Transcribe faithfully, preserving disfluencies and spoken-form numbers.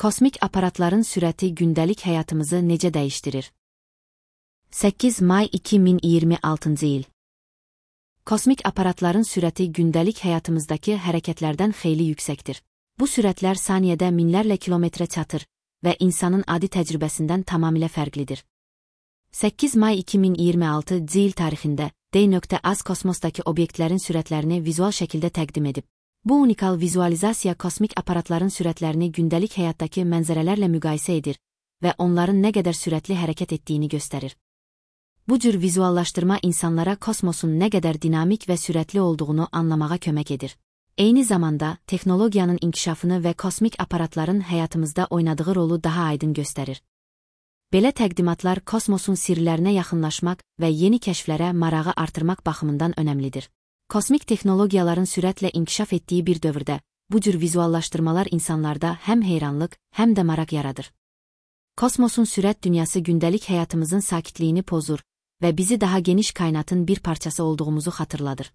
Kosmik aparatların sürəti gündəlik həyatımızı necə dəyişdirir? səkkiz may iki min iyirmi altıncı il. Kosmik aparatların sürəti gündəlik həyatımızdakı hərəkətlərdən xeyli yüksəkdir. Bu sürətlər saniyədə minlərlə kilometrə çatır və insanın adi təcrübəsindən tamamilə fərqlidir. səkkiz may iki min iyirmi altıncı il tarixində D.Az kosmosdakı obyektlərin sürətlərini vizual şəkildə təqdim edib. Bu unikal vizualizasiya kosmik aparatların sürətlərini gündəlik həyatdakı mənzərələrlə müqayisə edir və onların nə qədər sürətli hərəkət etdiyini göstərir. Bu cür vizuallaşdırma insanlara kosmosun nə qədər dinamik və sürətli olduğunu anlamağa kömək edir. Eyni zamanda, texnologiyanın inkişafını və kosmik aparatların həyatımızda oynadığı rolu daha aydın göstərir. Belə təqdimatlar kosmosun sirlərinə yaxınlaşmaq və yeni kəşflərə marağı artırmaq baxımından önəmlidir. Kosmik texnologiyaların sürətlə inkişaf etdiyi bir dövrdə, bu cür vizuallaşdırmalar insanlarda həm heyranlıq, həm də maraq yaradır. Kosmosun sürət dünyası gündəlik həyatımızın sakitliyini pozur və bizi daha geniş kainatın bir parçası olduğumuzu xatırladır.